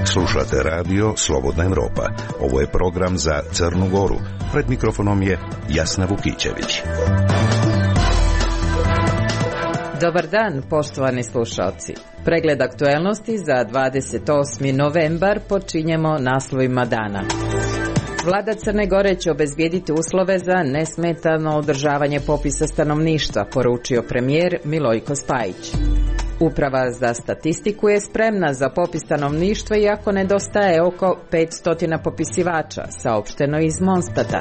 Slušate radio Slobodna Evropa. Ovo je program za Crnu Goru. Pred mikrofonom je Jasna Vukićević. Dobar dan, poštovani slušalci. Pregled aktuelnosti za 28. novembar počinjemo naslovima dana. Vlada Crne Gore će obezbijediti uslove za nesmetano održavanje popisa stanovništva, poručio premijer Milojko Spajić. Uprava za statistiku je spremna za popis stanovništva iako nedostaje oko 500 popisivača, saopšteno iz Monstata.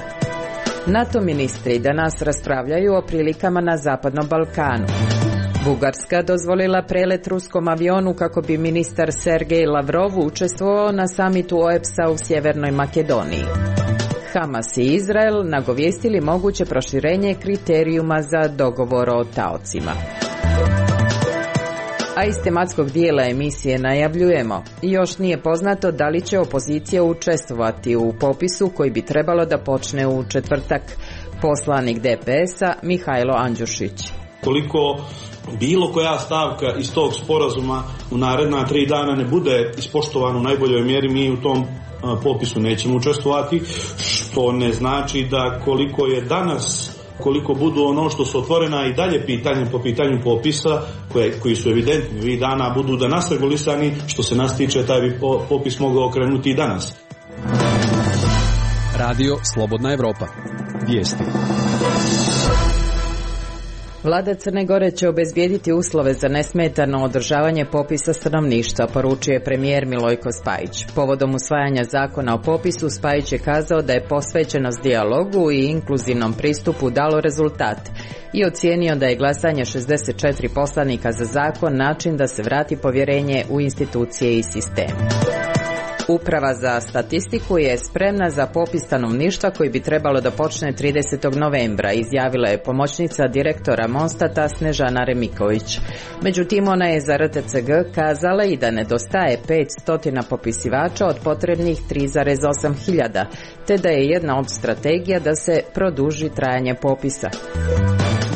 NATO ministri danas raspravljaju o prilikama na Zapadnom Balkanu. Bugarska dozvolila prelet ruskom avionu kako bi ministar Sergej Lavrov učestvovao na samitu OEBS-a u Sjevernoj Makedoniji. Hamas i Izrael nagovijestili moguće proširenje kriterijuma za dogovor o taocima. A iz tematskog dijela emisije najavljujemo. Još nije poznato da li će opozicija učestvovati u popisu koji bi trebalo da počne u četvrtak. Poslanik DPS-a Mihajlo Andjušić. Koliko bilo koja stavka iz tog sporazuma u naredna 3 dana ne bude ispoštovana u najboljoj mjeri, mi u tom popisu nećemo učestvovati, što ne znači da koliko je danas, koliko budu ono što su otvorena i dalje pitanja po pitanju popisa, koji su evidentni, ovih dana budu da nas regulisani, što se nas tiče, taj bi popis mogao okrenuti i danas. Radio Slobodna Evropa. Vijesti. Vlada Crne Gore će obezbijediti uslove za nesmetano održavanje popisa stanovništva, poručuje premijer Milojko Spajić. Povodom usvajanja zakona o popisu, Spajić je kazao da je posvećenost dijalogu i inkluzivnom pristupu dalo rezultat i ocijenio da je glasanje 64 poslanika za zakon način da se vrati povjerenje u institucije i sistem. Uprava za statistiku je spremna za popis stanovništva koji bi trebalo da počne 30. novembra, izjavila je pomoćnica direktora Monstata Snežana Remiković. Međutim, ona je za RTCG kazala i da nedostaje 500 popisivača od potrebnih 3,8 hiljada, te da je jedna od strategija da se produži trajanje popisa.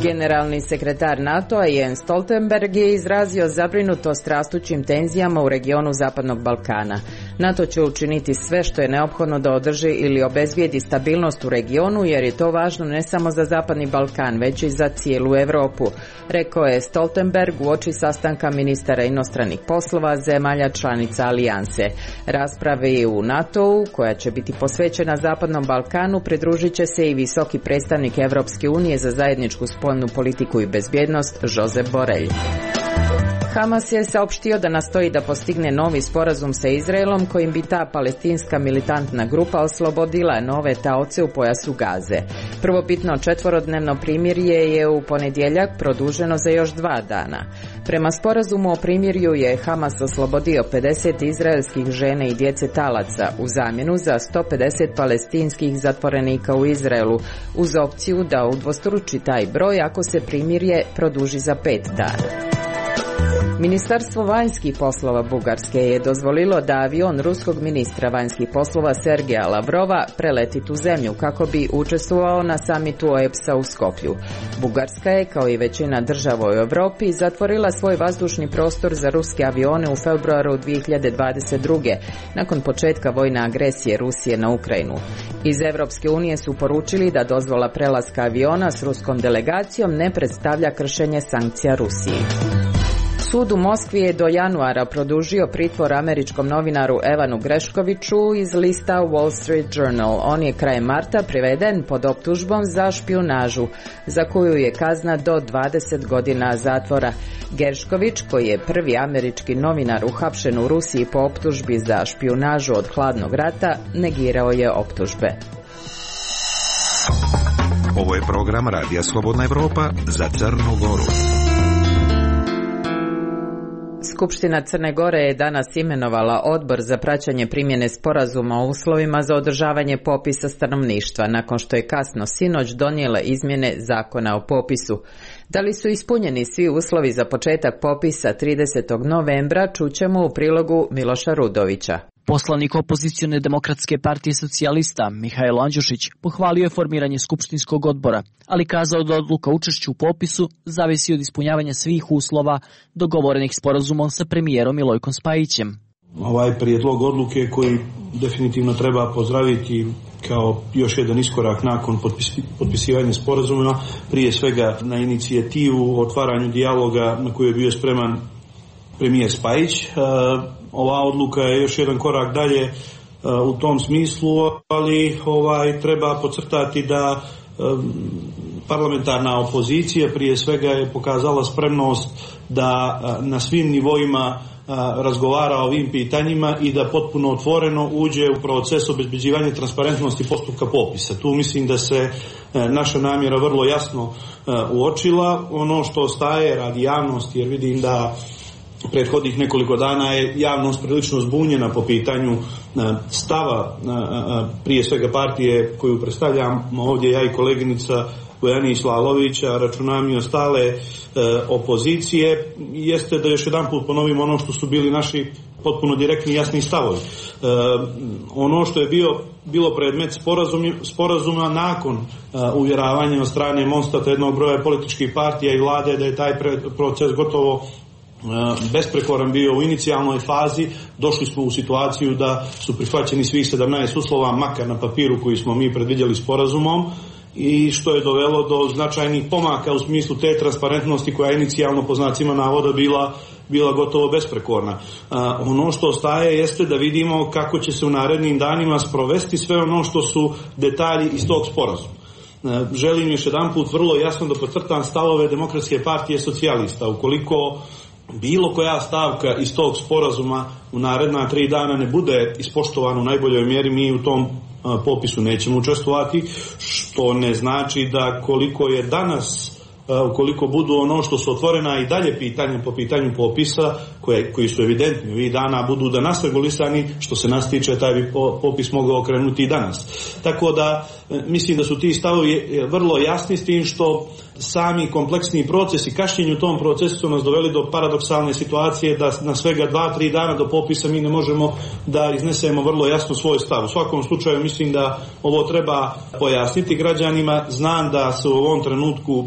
Generalni sekretar NATO-a Jens Stoltenberg je izrazio zabrinutost rastućim tenzijama u regionu Zapadnog Balkana. NATO će učiniti sve što je neophodno da održi ili obezbijedi stabilnost u regionu, jer je to važno ne samo za Zapadni Balkan, već i za cijelu Europu, rekao je Stoltenberg uoči sastanka ministara inostranih poslova zemalja članica alijanse. Raspravi u NATO-u, koja će biti posvećena Zapadnom Balkanu, pridružit će se i visoki predstavnik Evropske unije za zajedničku spoljnu politiku i bezbjednost Josep Borrell. Hamas je saopštio da nastoji da postigne novi sporazum sa Izraelom kojim bi ta palestinska militantna grupa oslobodila nove taoce u pojasu Gaze. Prvobitno 4-dnevno primirje je u ponedjeljak produženo za još 2 dana. Prema sporazumu o primirju je Hamas oslobodio 50 izraelskih žena i djece talaca u zamjenu za 150 palestinskih zatvorenika u Izraelu, uz opciju da udvostruči taj broj ako se primirje produži za 5 dana. Ministarstvo vanjskih poslova Bugarske je dozvolilo da avion ruskog ministra vanjskih poslova Sergeja Lavrova preleti tu zemlju kako bi učestvovao na samitu OEBS-a u Skoplju. Bugarska je, kao i većina država u Europi, zatvorila svoj vazdušni prostor za ruske avione u februaru 2022. nakon početka vojne agresije Rusije na Ukrajinu. Iz Evropske unije su poručili da dozvola prelaska aviona s ruskom delegacijom ne predstavlja kršenje sankcija Rusiji. Sud u Moskvi je do januara produžio pritvor američkom novinaru Evanu Greškoviću iz lista Wall Street Journal. On je krajem marta priveden pod optužbom za špijunažu, za koju je kazna do 20 godina zatvora. Grešković, koji je prvi američki novinar uhapšen u Rusiji po optužbi za špijunažu od hladnog rata, negirao je optužbe. Ovo je program Radija Slobodna Evropa za Crnu Goru. Skupština Crne Gore je danas imenovala odbor za praćenje primjene sporazuma o uslovima za održavanje popisa stanovništva, nakon što je kasno sinoć donijela izmjene zakona o popisu. Da li su ispunjeni svi uslovi za početak popisa 30. novembra, čućemo u prilogu Miloša Rudovića. Poslanik opozicione Demokratske partije socijalista Mihajlo Andjušić pohvalio je formiranje skupštinskog odbora, ali kazao da odluka učešću u popisu zavisi od ispunjavanja svih uslova dogovorenih sporazumom sa premijerom Milojkom Spajićem. Ovaj prijedlog odluke koji definitivno treba pozdraviti kao još jedan iskorak nakon potpisivanja sporazuma, prije svega na inicijativu o otvaranju dijaloga na koji je bio spreman premijer Spajić. Ova odluka je još jedan korak dalje u tom smislu, ali treba podcrtati da parlamentarna opozicija prije svega je pokazala spremnost da na svim nivoima razgovara o ovim pitanjima i da potpuno otvoreno uđe u proces obezbeđivanja transparentnosti postupka popisa. Tu mislim da se naša namjera vrlo jasno uočila. Ono što ostaje radi javnosti, jer vidim da prethodnih nekoliko dana je javnost prilično zbunjena po pitanju stava prije svega partije koju predstavljamo ovdje ja i koleginica Bojana Islalovića, računam i ostale opozicije, jeste da još jedan put ponovimo ono što su bili naši potpuno direktni i jasni stavovi. Ono što je bilo predmet sporazuma nakon uvjeravanja od strane Monstata jednog broja političkih partija i vlade da je taj proces gotovo besprekoran bio u inicijalnoj fazi, došli smo u situaciju da su prihvaćeni svih 17 uslova, makar na papiru koji smo mi predvidjeli sporazumom, i što je dovelo do značajnih pomaka u smislu te transparentnosti koja je inicijalno po znacima navoda bila gotovo besprekorna. Ono što ostaje jeste da vidimo kako će se u narednim danima sprovesti sve ono što su detalji iz tog sporazuma. Želim još jedan put vrlo jasno da podcrtam stavove Demokratske partije socijalista. Ukoliko bilo koja stavka iz tog sporazuma u naredna 3 dana ne bude ispoštovana u najboljoj mjeri, mi u tom popisu nećemo učestvovati, što ne znači da koliko je danas, ukoliko budu ono što su otvorena i dalje pitanja po pitanju popisa, koji su evidentni ovih dana, budu danas regulisani, što se nas tiče, taj bi popis mogao okrenuti i danas. Tako da mislim da su ti stavovi vrlo jasni, s tim što sami kompleksni procesi, kašnjenju u tom procesu su nas doveli do paradoksalne situacije da na svega 2-3 dana do popisa mi ne možemo da iznesemo vrlo jasno svoj stav. U svakom slučaju mislim da ovo treba pojasniti građanima. Znam da se u ovom trenutku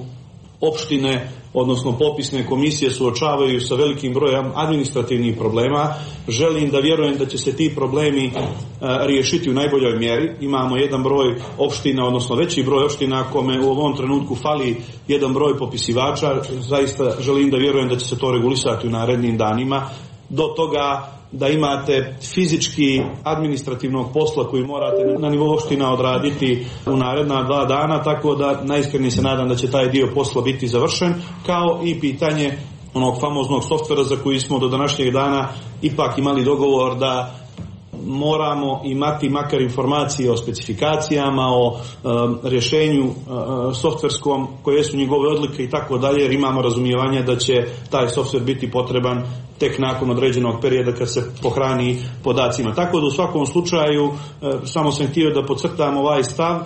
opštine, odnosno popisne komisije suočavaju sa velikim brojem administrativnih problema. Želim da vjerujem da će se ti problemi riješiti u najboljoj mjeri. Imamo jedan broj opština, odnosno veći broj opština kome u ovom trenutku fali jedan broj popisivača. Zaista želim da vjerujem da će se to regulisati u narednim danima. Do toga da imate fizički administrativnog posla koji morate na nivou opština odraditi u naredna 2 dana, tako da najiskrenije se nadam da će taj dio posla biti završen, kao i pitanje onog famoznog softvera za koji smo do današnjeg dana ipak imali dogovor da moramo imati makar informacije o specifikacijama, o rješenju softverskom, koje su njegove odlike i tako dalje, jer imamo razumijevanje da će taj softver biti potreban tek nakon određenog perioda kad se pohrani podacima. Tako da u svakom slučaju samo sam htio da podcrtam ovaj stav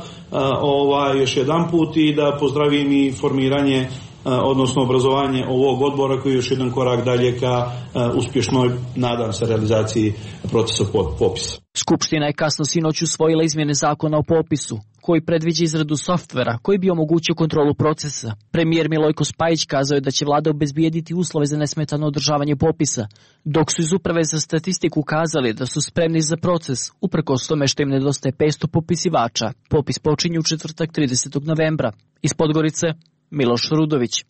još jedan put i da pozdravim i formiranje odnosno obrazovanje ovog odbora koji je još jedan korak dalje ka uspješnoj, nadam se, realizaciji procesa popisa. Skupština je kasno sinoć usvojila izmjene zakona o popisu, koji predviđa izradu softvera koji bi omogućio kontrolu procesa. Premijer Milojko Spajić kazao je da će vlada obezbijediti uslove za nesmetano održavanje popisa, dok su iz Uprave za statistiku kazali da su spremni za proces, uprkos tome što im nedostaje 500 popisivača. Popis počinje u četvrtak 30. novembra. Iz Podgorice, Miloš Rudović.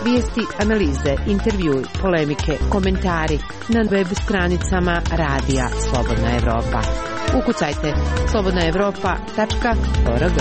Vijesti, analize, intervjui, polemike, komentari na web stranicama Radija Slobodna Evropa. Ukucajte slobodnaevropa.org.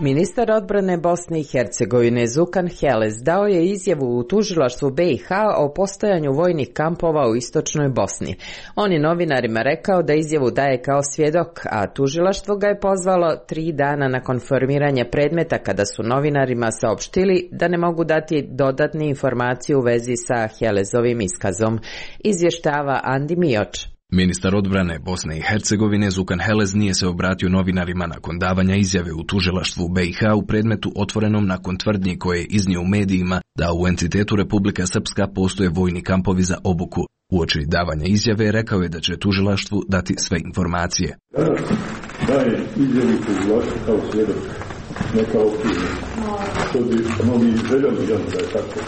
Ministar odbrane Bosne i Hercegovine Zukan Heles dao je izjavu u tužilaštvu BiH o postojanju vojnih kampova u istočnoj Bosni. On je novinarima rekao da izjavu daje kao svjedok, a tužilaštvo ga je pozvalo 3 dana nakon formiranja predmeta kada su novinarima saopštili da ne mogu dati dodatne informacije u vezi sa Helesovim iskazom. Izvještava Andi Mioč. Ministar odbrane Bosne i Hercegovine Zukan Helez nije se obratio novinarima nakon davanja izjave u tužilaštvu BiH u predmetu otvorenom nakon tvrdnji koje je iznio u medijima da u entitetu Republika Srpska postoje vojni kampovi za obuku. Uoči davanja izjave rekao je da će tužilaštvu dati sve informacije. Danas daje izjavu tužilaštvu kao svjedok, ne kao optužen. Što bi mnogi željeli da je tako.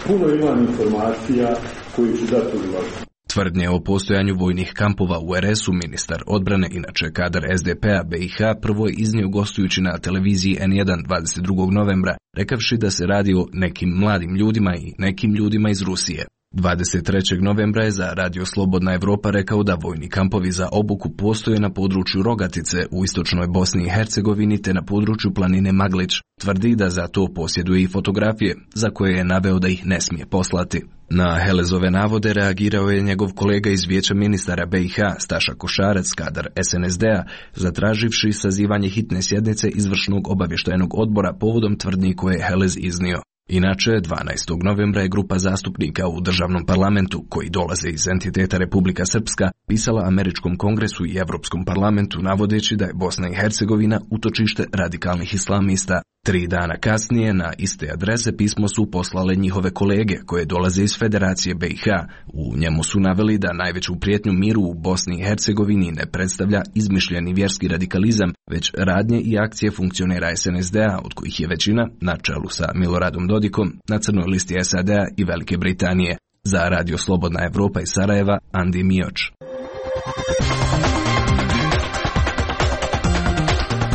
Puno ima informacija koji će dati tužilaštvu. Tvrdnje o postojanju vojnih kampova u RS-u ministar odbrane, inače kadar SDP-a BiH, prvo je iznio gostujući na televiziji N1 22. novembra, rekavši da se radi o nekim mladim ljudima i nekim ljudima iz Rusije. 23. novembra je za Radio Slobodna Evropa rekao da vojni kampovi za obuku postoje na području Rogatice u istočnoj Bosni i Hercegovini te na području planine Maglić. Tvrdi da za to posjeduje i fotografije, za koje je naveo da ih ne smije poslati. Na Helezove navode reagirao je njegov kolega iz Vijeća ministara BiH, Staša Košarac, kadar SNSD-a, zatraživši sazivanje hitne sjednice izvršnog obavještajnog odbora povodom tvrdnji koje je Helez iznio. Inače, 12. novembra je grupa zastupnika u državnom parlamentu, koji dolaze iz entiteta Republika Srpska, pisala Američkom kongresu i Evropskom parlamentu navodeći da je Bosna i Hercegovina utočište radikalnih islamista. 3 dana kasnije na iste adrese pismo su poslale njihove kolege koje dolaze iz Federacije BiH. U njemu su naveli da najveću prijetnju miru u Bosni i Hercegovini ne predstavlja izmišljeni vjerski radikalizam, već radnje i akcije funkcionera SNSD-a, od kojih je većina, na čelu sa Miloradom Dodikom, na crnoj listi SAD-a i Velike Britanije. Za Radio Slobodna Evropa iz Sarajeva, Andi Mioč.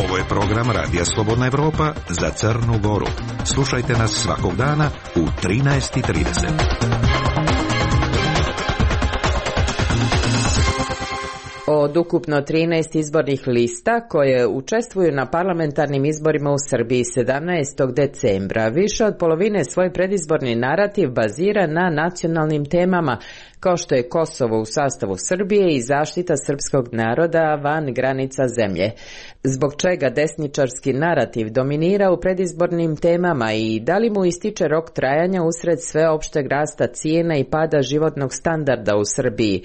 Ovo je program Radija Slobodna Evropa za Crnu Goru. Slušajte nas svakog dana u 13:30. Od ukupno 13 izbornih lista koje učestvuju na parlamentarnim izborima u Srbiji 17. decembra, više od polovine svoj predizborni narativ bazira na nacionalnim temama, kao što je Kosovo u sastavu Srbije i zaštita srpskog naroda van granica zemlje. Zbog čega desničarski narativ dominira u predizbornim temama i da li mu ističe rok trajanja usred sveopšteg rasta cijena i pada životnog standarda u Srbiji?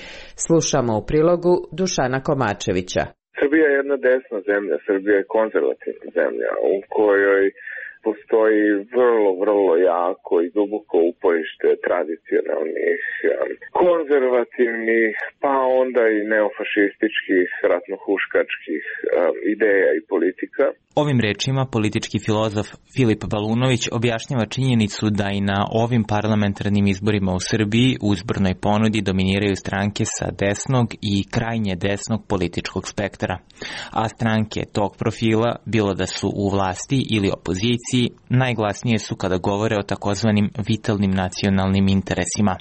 Slušamo u prilogu Dušana Komačevića. Srbija je jedna desna zemlja, Srbija je konzervativna zemlja u kojoj postoji vrlo jako i duboko uporište tradicionalnih, konzervativnih, pa onda i neofašističkih, ratnohuškačkih ideja i politika. Ovim rečima politički filozof Filip Balunović objašnjava činjenicu da i na ovim parlamentarnim izborima u Srbiji u izbornoj ponudi dominiraju stranke sa desnog i krajnje desnog političkog spektra, a stranke tog profila, bilo da su u vlasti ili opoziciji, najglasnije su kada govore o takozvanim vitalnim nacionalnim interesima.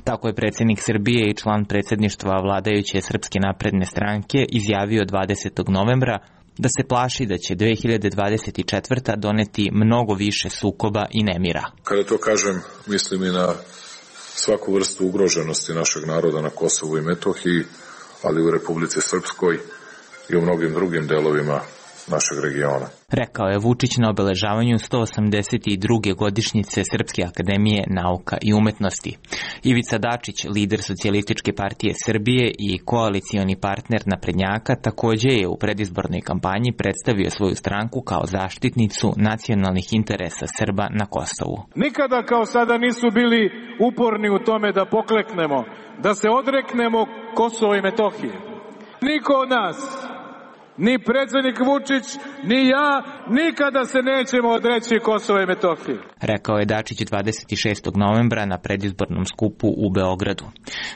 Tako je predsjednik Srbije i član predsjedništva vladajuće Srpske napredne stranke izjavio 20. novembra da se plaši da će 2024. doneti mnogo više sukoba i nemira. Kada to kažem, mislim i na svaku vrstu ugroženosti našeg naroda na Kosovu i Metohiji, ali u Republici Srpskoj i u mnogim drugim delovima našeg regiona. Rekao je Vučić na obeležavanju 182. godišnjice Srpske akademije nauka i umetnosti. Ivica Dačić, lider Socijalističke partije Srbije i koalicioni partner naprednjaka, također je u predizbornoj kampanji predstavio svoju stranku kao zaštitnicu nacionalnih interesa Srba na Kosovu. Nikada kao sada nisu bili uporni u tome da pokleknemo, da se odreknemo Kosova i Metohije. Niko od nas, ni predsjednik Vučić, ni ja, nikada se nećemo odreći Kosova i Metohije. Rekao je Dačić 26. novembra na predizbornom skupu u Beogradu.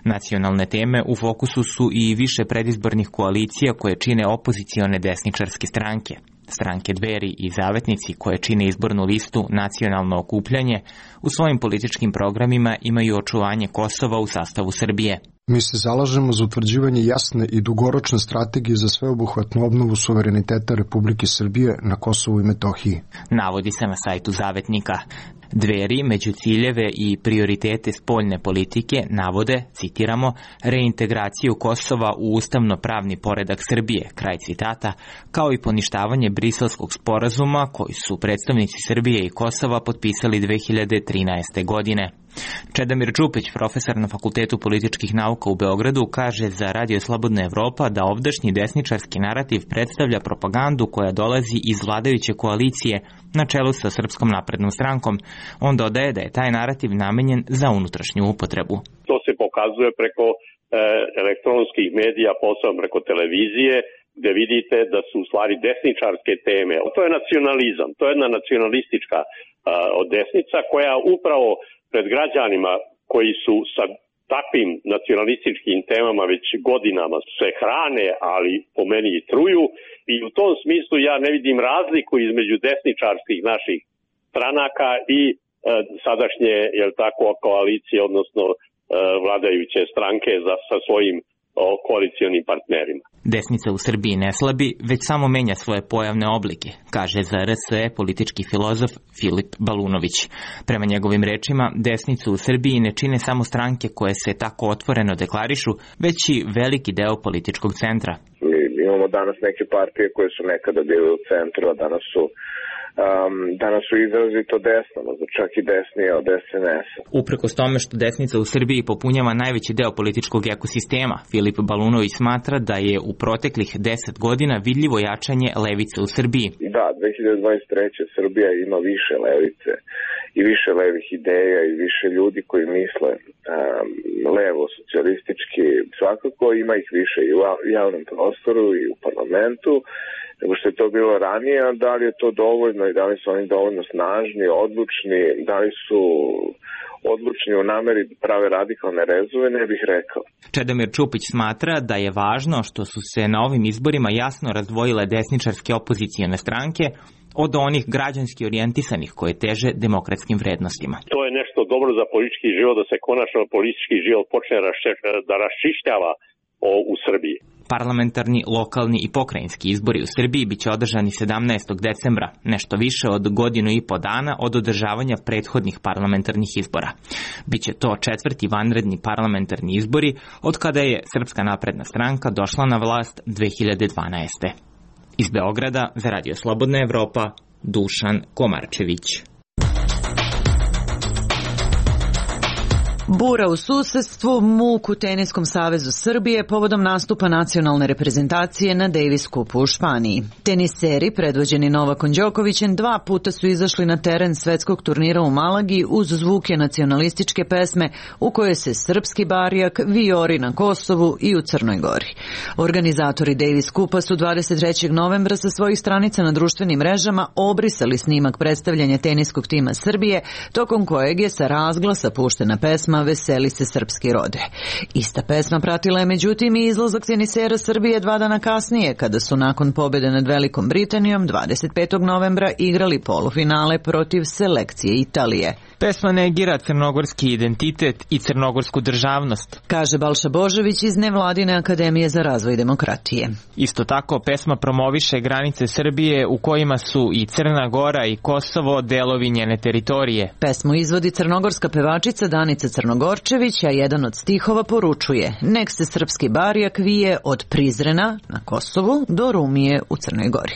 Nacionalne teme u fokusu su i više predizbornih koalicija koje čine opozicione desničarske stranke. Stranke Dveri i Zavetnici koje čine izbornu listu Nacionalno okupljanje u svojim političkim programima imaju očuvanje Kosova u sastavu Srbije. Mi se zalažemo za utvrđivanje jasne i dugoročne strategije za sveobuhvatnu obnovu suvereniteta Republike Srbije na Kosovu i Metohiji. Navodi se na sajtu Zavetnika. Dveri među ciljeve i prioritete spoljne politike navode, citiramo, reintegraciju Kosova u ustavno-pravni poredak Srbije, kraj citata, kao i poništavanje Briselskog sporazuma koji su predstavnici Srbije i Kosova potpisali 2013. godine. Čedomir Čupić, profesor na Fakultetu političkih nauka u Beogradu, kaže za Radio Slobodna Evropa da ovdašnji desničarski narativ predstavlja propagandu koja dolazi iz vladajuće koalicije na čelu sa Srpskom naprednom strankom. On dodaje da je taj narativ namenjen za unutrašnju upotrebu. To se pokazuje preko elektronskih medija, posebno preko televizije, gde vidite da su u stvari desničarske teme. To je nacionalizam, to je jedna nacionalistička desnica koja upravo pred građanima koji su sa takvim nacionalističkim temama već godinama se hrane, ali po meni i truju, i u tom smislu ja ne vidim razliku između desničarskih naših stranaka i sadašnje, koalicije, odnosno vladajuće stranke sa svojim koalicionim partnerima. Desnica u Srbiji ne slabi, već samo menja svoje pojavne oblike, kaže za RSE politički filozof Filip Balunović. Prema njegovim rečima, desnicu u Srbiji ne čine samo stranke koje se tako otvoreno deklarišu, već i veliki deo političkog centra. Mi imamo danas neke partije koje su nekada bile u centru, a danas su izrazito desno, čak i desnije od SNS-a. Uprkos tome što desnica u Srbiji popunjava najveći deo političkog ekosistema, Filip Balunović smatra da je u proteklih 10 godina vidljivo jačanje levice u Srbiji. Da, 2023. Srbija ima više levice i više levih ideja i više ljudi koji misle levo, socijalistički, svakako ima ih više i u javnom prostoru i u parlamentu nego što je to bilo ranije, a da li je to dovoljno i da li su oni dovoljno snažni, odlučni, da li su odlučni u nameri prave radikalne rezove, ne bih rekao. Čedomir Čupić smatra da je važno što su se na ovim izborima jasno razdvojile desničarske opozicijone stranke od onih građanski orijentisanih koje teže demokratskim vrednostima. To je nešto dobro za politički život, da se konačno politički život počne da raščišćava u Srbiji. Parlamentarni, lokalni i pokrajinski izbori u Srbiji biće održani 17. decembra, nešto više od godinu i po dana od održavanja prethodnih parlamentarnih izbora. Biće to četvrti vanredni parlamentarni izbori od kada je Srpska napredna stranka došla na vlast 2012. Iz Beograda za Radio Slobodna Evropa, Dušan Komarčević. Bura u susedstvu, muk u Teniskom savezu Srbije povodom nastupa nacionalne reprezentacije na Davis Cupu u Španiji. Teniseri, predvođeni Novakom Đokovićem, 2 puta su izašli na teren svetskog turnira u Malagi uz zvuke nacionalističke pesme u kojoj se srpski barjak vijori na Kosovu i u Crnoj Gori. Organizatori Davis Cupa su 23. novembra sa svojih stranica na društvenim mrežama obrisali snimak predstavljanja teniskog tima Srbije, tokom kojeg je sa razglasa puštena pesma Veseli se srpski rode. Ista pesma pratila je međutim i izlazak tenisera Srbije 2 dana kasnije, kada su nakon pobjede nad Velikom Britanijom 25. novembra igrali polufinale protiv selekcije Italije. Pesma negira crnogorski identitet i crnogorsku državnost, kaže Balša Božović iz Nevladine akademije za razvoj demokratije. Isto tako, pesma promoviše granice Srbije u kojima su i Crna Gora i Kosovo delovi njene teritorije. Pesmu izvodi crnogorska pevačica Danica Crnogorčević, a jedan od stihova poručuje: nek se srpski barjak vije od Prizrena na Kosovu do Rumije u Crnoj Gori.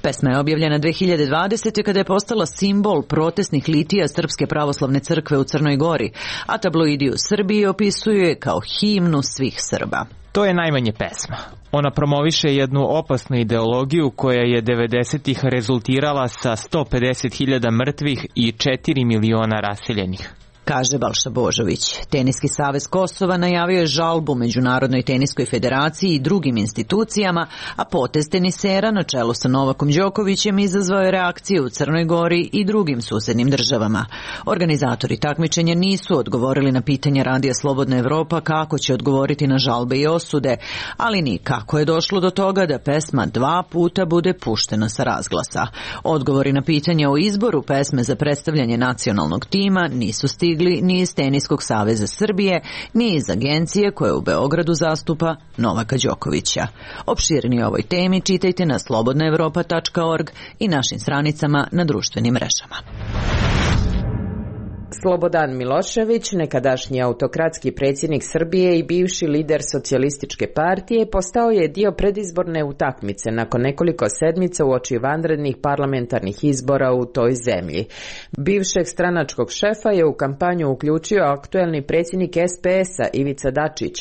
Pesma je objavljena 2020. kada je postala simbol protestnih litija Srpske pravoslavne crkve u Crnoj Gori, a tabloidi u Srbiji opisuju je kao himnu svih Srba. To je najmanje pesma. Ona promoviše jednu opasnu ideologiju koja je 90-ih rezultirala sa 150.000 mrtvih i 4 miliona raseljenih, kaže Balša Božović. Teniski savez Kosova najavio je žalbu Međunarodnoj teniskoj federaciji i drugim institucijama, a potez tenisera na čelu sa Novakom Đokovićem izazvao je reakcije u Crnoj Gori i drugim susednim državama. Organizatori takmičenja nisu odgovorili na pitanja Radija Slobodna Evropa kako će odgovoriti na žalbe i osude, ali ni kako je došlo do toga da pesma 2 puta bude puštena sa razglasa. Odgovori na pitanja o izboru pesme za predstavljanje nacionalnog tima nisu stigli ni iz Teniskog saveza Srbije, ni iz agencije koja u Beogradu zastupa Novaka Đokovića. Opširnije o ovoj temi čitajte na slobodnaevropa.org i našim stranicama na društvenim mrežama. Slobodan Milošević, nekadašnji autokratski predsjednik Srbije i bivši lider socijalističke partije, postao je dio predizborne utakmice nakon nekoliko sedmica uoči vanrednih parlamentarnih izbora u toj zemlji. Bivšeg stranačkog šefa je u kampanju uključio aktuelni predsjednik SPS-a Ivica Dačić,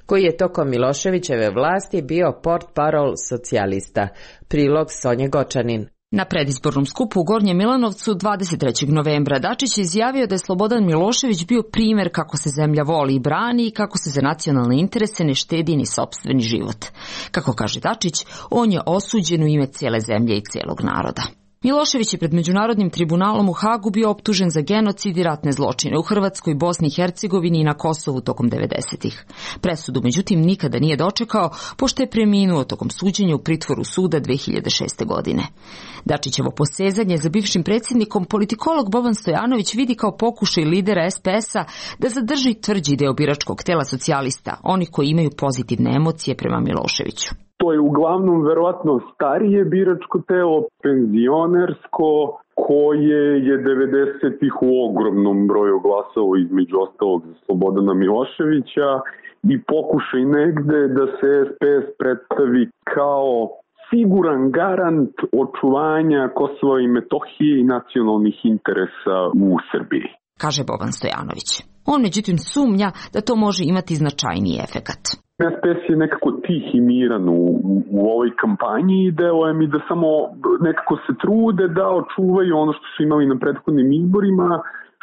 koji je tokom Miloševićeve vlasti bio portparol socijalista. Prilog Sonje Gočanin. Na predizbornom skupu u Gornjem Milanovcu 23. novembra Dačić je izjavio da je Slobodan Milošević bio primjer kako se zemlja voli i brani i kako se za nacionalne interese ne štedi ni sopstveni život. Kako kaže Dačić, on je osuđen u ime cijele zemlje i cijelog naroda. Milošević je pred Međunarodnim tribunalom u Hagu bio optužen za genocid i ratne zločine u Hrvatskoj, Bosni i Hercegovini i na Kosovu tokom 90-ih. Presudu, međutim, nikada nije dočekao, pošto je preminuo tokom suđenja u pritvoru suda 2006. godine. Dačićevo posezanje za bivšim predsjednikom politikolog Boban Stojanović vidi kao pokušaj lidera SPS-a da zadrži tvrđi deo biračkog tela socijalista, oni koji imaju pozitivne emocije prema Miloševiću. To je uglavnom verovatno starije biračko telo, penzionersko, koje je 90-ih u ogromnom broju glasalo između ostalog za Slobodana Miloševića i pokušaj negde da se SPS predstavi kao siguran garant očuvanja Kosova i Metohije i nacionalnih interesa u Srbiji, kaže Boban Stojanović. On međutim sumnja da to može imati značajniji efekat. SPS je nekako tih i miran u ovoj kampanji i deluje mi da samo nekako se trude da očuvaju ono što su imali na prethodnim izborima,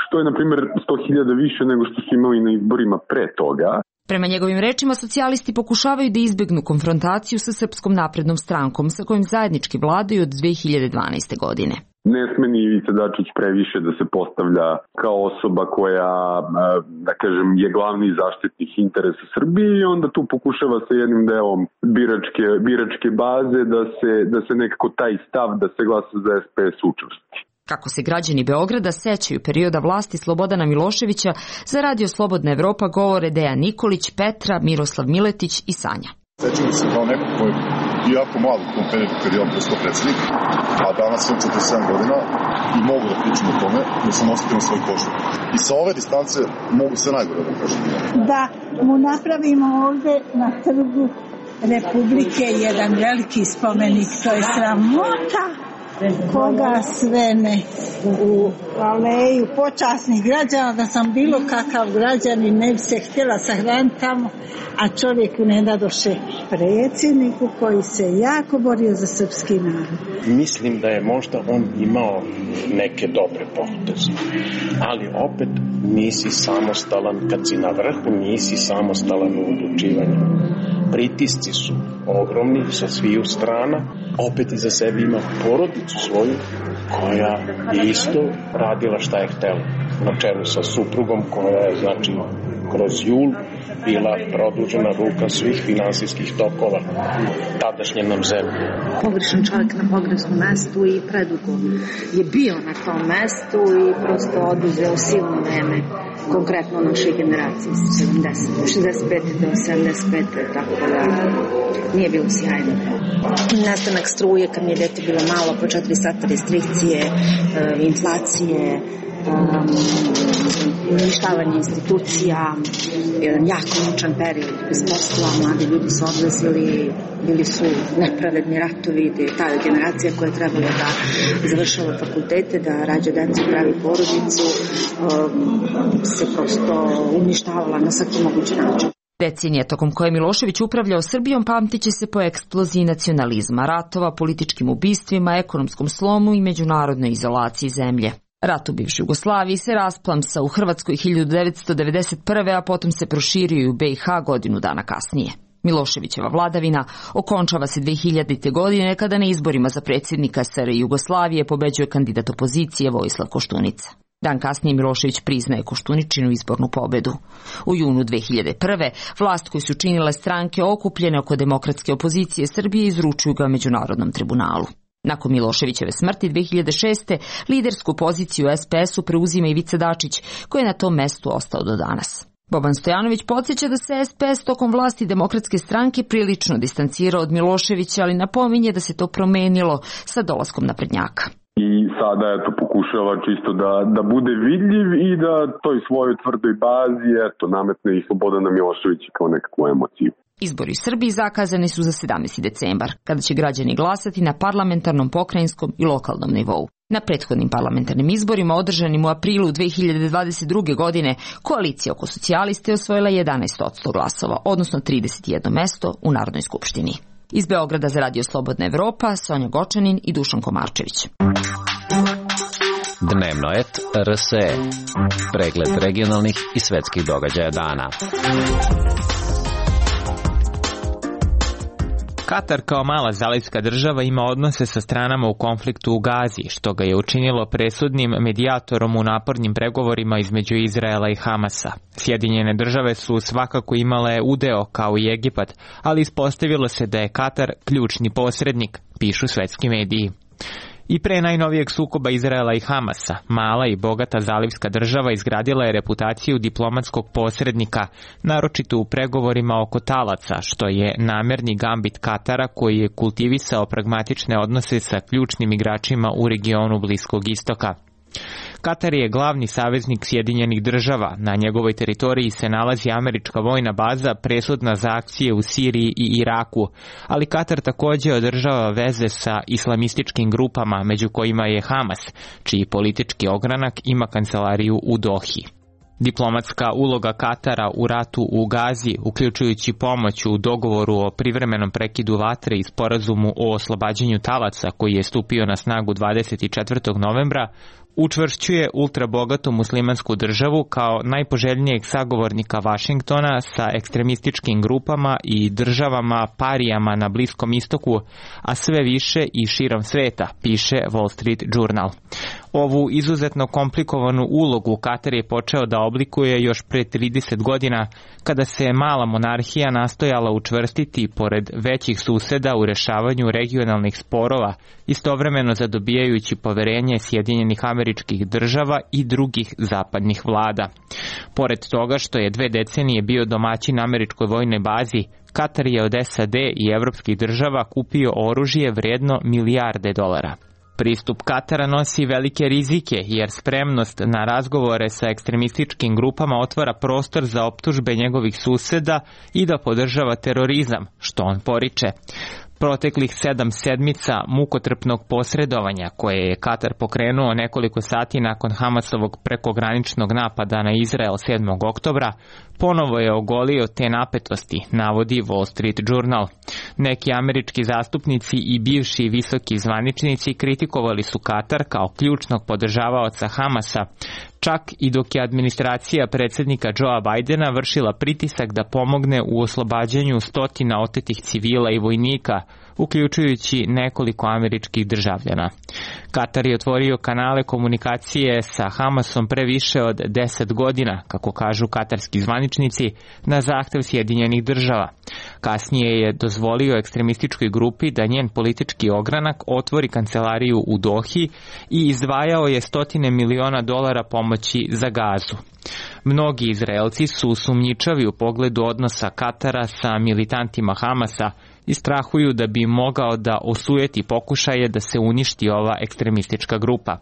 što je na primjer 100.000 više nego što su imali na izborima pre toga. Prema njegovim rečima, socijalisti pokušavaju da izbegnu konfrontaciju sa Srpskom naprednom strankom sa kojim zajednički vladaju od 2012. godine. Ne sme ni Ivica Dačić previše da se postavlja kao osoba koja, da kažem, je glavni zaštitnik interesa Srbije i onda tu pokušava sa jednim delom biračke baze da se nekako taj stav da se glasa za SPS učvrsti. Kako se građani Beograda sećaju perioda vlasti Slobodana Miloševića, za Radio Slobodna Evropa govore Dejan Nikolić, Petra, Miroslav Miletić i Sanja. Sećam se kao neko koji je jako malo u tom periodu kad je on postao predsjednik, a danas sam 47 godina i mogu da pričam o tome da sam osetio na svoj koži. I sa ove distance mogu se najgore da kažem. Da mu napravimo ovde na trgu Republike jedan veliki spomenik, to je sramota koga sve ne u aleju počasnih građana, da sam bilo kakav građanin ne bi se htjela sahraniti tamo, a čovjeku ne dadoše predsjedniku koji se jako borio za srpski narod. Mislim da je možda on imao neke dobre poteze, ali opet nisi samostalan, kad si na vrhu nisi samostalan u odlučivanju. Pritisci su ogromni sa sviju strana, opet iza sebe ima porodicu svoju koja je isto radila šta je htela, na čelu sa suprugom koja je, znači, kroz jul bila produžena ruka svih finansijskih tokova tadašnje nam zemlje. Pogrešan čovjek na pogrešnom mestu i predugo je bio na tom mestu i prosto oduzeo silno vreme, konkretno našoj generaciji 65. do 75. tako da nije bilo sjajno. Nastanak struje kad mi je dete bilo malo, po 4 sata restrikcije, inflacije, uništavanje institucija, jedan jako mučan period bez posla, mladi ljudi su odlazili, bili su nepravedni ratovi, ta generacija koja je trebala da završava fakultete, da rađa decu, pravi porodicu, se prosto uništavala na svaki mogući način. Decenija tokom koje Milošević upravljao Srbijom pamtit će se po eksploziji nacionalizma, ratova, političkim ubistvima, ekonomskom slomu i međunarodnoj izolaciji zemlje. Rat u bivšoj Jugoslaviji se rasplamsao u Hrvatskoj 1991. a potom se proširio i u BiH godinu dana kasnije. Miloševićeva vladavina okončava se 2000. godine kada na izborima za predsjednika SR Jugoslavije pobeđuje kandidat opozicije Vojislav Koštunica. Dan kasnije Milošević priznaje Koštuničinu izbornu pobedu. U junu 2001. vlast koju su činile stranke okupljene oko demokratske opozicije Srbije izručuju ga Međunarodnom tribunalu. Nakon Miloševićeve smrti 2006. lidersku poziciju u SPS-u preuzima Ivica Dačić, koji je na tom mestu ostao do danas. Boban Stojanović podsjeća da se SPS tokom vlasti Demokratske stranke prilično distancirao od Miloševića, ali napominje da se to promenilo sa dolaskom naprednjaka. i sada pokušava čisto da bude vidljiv i da toj svojoj tvrdoj bazi nametne i Slobodana Miloševića kao nekakvu emociju. Izbori u Srbiji zakazani su za 17. decembar, kada će građani glasati na parlamentarnom, pokrajinskom i lokalnom nivou. Na prethodnim parlamentarnim izborima održanim u aprilu 2022. godine koalicija oko socijaliste osvojila 11% glasova, odnosno 31 mesto u Narodnoj skupštini. Iz Beograda za Radio Slobodna Evropa, Sonja Gočanin i Dušan Komarčević. Dnevno et RSE. Pregled regionalnih i svetskih događaja dana. Katar kao mala zalivska država ima odnose sa stranama u konfliktu u Gazi, što ga je učinilo presudnim medijatorom u napornim pregovorima između Izraela i Hamasa. Sjedinjene države su svakako imale udeo kao i Egipat, ali ispostavilo se da je Katar ključni posrednik, pišu svetski mediji. I pre najnovijeg sukoba Izraela i Hamasa, mala i bogata zalivska država izgradila je reputaciju diplomatskog posrednika, naročito u pregovorima oko talaca, što je namerni gambit Katara koji je kultivisao pragmatične odnose sa ključnim igračima u regionu Bliskog istoka. Katar je glavni saveznik Sjedinjenih država, na njegovoj teritoriji se nalazi američka vojna baza presudna za akcije u Siriji i Iraku, ali Katar također održava veze sa islamističkim grupama, među kojima je Hamas, čiji politički ogranak ima kancelariju u Dohi. Diplomatska uloga Katara u ratu u Gazi, uključujući pomoć u dogovoru o privremenom prekidu vatre i sporazumu o oslobađanju talaca koji je stupio na snagu 24. novembra, učvršćuje ultrabogatu muslimansku državu kao najpoželjnijeg sagovornika Vašingtona sa ekstremističkim grupama i državama parijama na Bliskom istoku, a sve više i širom sveta, piše Wall Street Journal. Ovu izuzetno komplikovanu ulogu Katar je počeo da oblikuje još pre 30 godina, kada se mala monarhija nastojala učvrstiti pored većih suseda u rešavanju regionalnih sporova, istovremeno zadobijajući poverenje Sjedinjenih Američkih Država i drugih zapadnih vlada. Pored toga što je 2 decenije bio domaćin američkoj vojnoj bazi, Katar je od SAD i evropskih država kupio oružje vrijedno milijarde dolara. Pristup Katara nosi velike rizike jer spremnost na razgovore sa ekstremističkim grupama otvara prostor za optužbe njegovih suseda i da podržava terorizam, što on poriče. Proteklih 7 sedmica mukotrpnog posredovanja koje je Katar pokrenuo nekoliko sati nakon Hamasovog prekograničnog napada na Izrael 7. oktobra ponovo je ogolio te napetosti, navodi Wall Street Journal. Neki američki zastupnici i bivši visoki zvaničnici kritikovali su Katar kao ključnog podržavaoca Hamasa, čak i dok je administracija predsjednika Joea Bidena vršila pritisak da pomogne u oslobađanju stotina otetih civila i vojnika, uključujući nekoliko američkih državljana. Katar je otvorio kanale komunikacije sa Hamasom pre više od 10 godina, kako kažu katarski zvaničnici, na zahtev Sjedinjenih država. Kasnije je dozvolio ekstremističkoj grupi da njen politički ogranak otvori kancelariju u Dohi i izdvajao je $100 miliona pomoći za Gazu. Mnogi Izraelci su sumnjičavi u pogledu odnosa Katara sa militantima Hamasa i strahuju da bi mogao da osujeti pokušaje da se uništi ova ekstremistička grupa.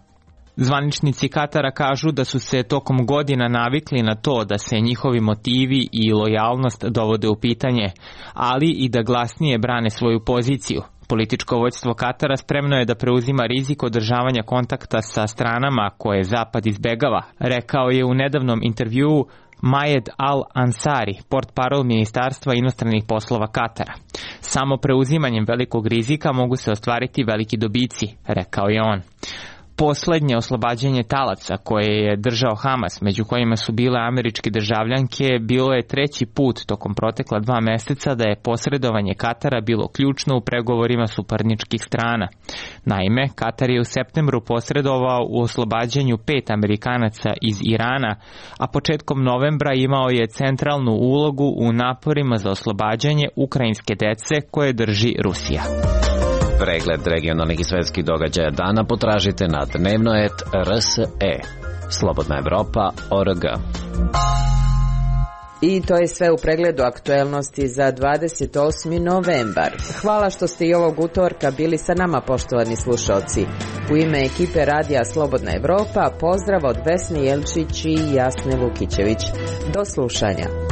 Zvaničnici Katara kažu da su se tokom godina navikli na to da se njihovi motivi i lojalnost dovode u pitanje, ali i da glasnije brane svoju poziciju. Političko vođstvo Katara spremno je da preuzima rizik održavanja kontakta sa stranama koje Zapad izbegava, rekao je u nedavnom intervjuu Majed Al-Ansari, portparol Ministarstva inostranih poslova Katara. Samo preuzimanjem velikog rizika mogu se ostvariti veliki dobici, rekao je on. Poslednje oslobađanje talaca koje je držao Hamas, među kojima su bile američke državljanke, bilo je 3. put tokom protekla 2 meseca da je posredovanje Katara bilo ključno u pregovorima suparničkih strana. Naime, Katar je u septembru posredovao u oslobađanju 5 Amerikanaca iz Irana, a početkom novembra imao je centralnu ulogu u naporima za oslobađanje ukrajinske dece koje drži Rusija. Pregled regionalnih i svetskih događaja dana potražite na dnevnoet.rs.e. Slobodna Evropa.org. I to je sve u pregledu aktuelnosti za 28. novembar. Hvala što ste i ovog utorka bili sa nama, poštovani slušalci. U ime ekipe Radija Slobodna Evropa, pozdrav od Vesne Jelčić i Jasne Vukićević. Do slušanja.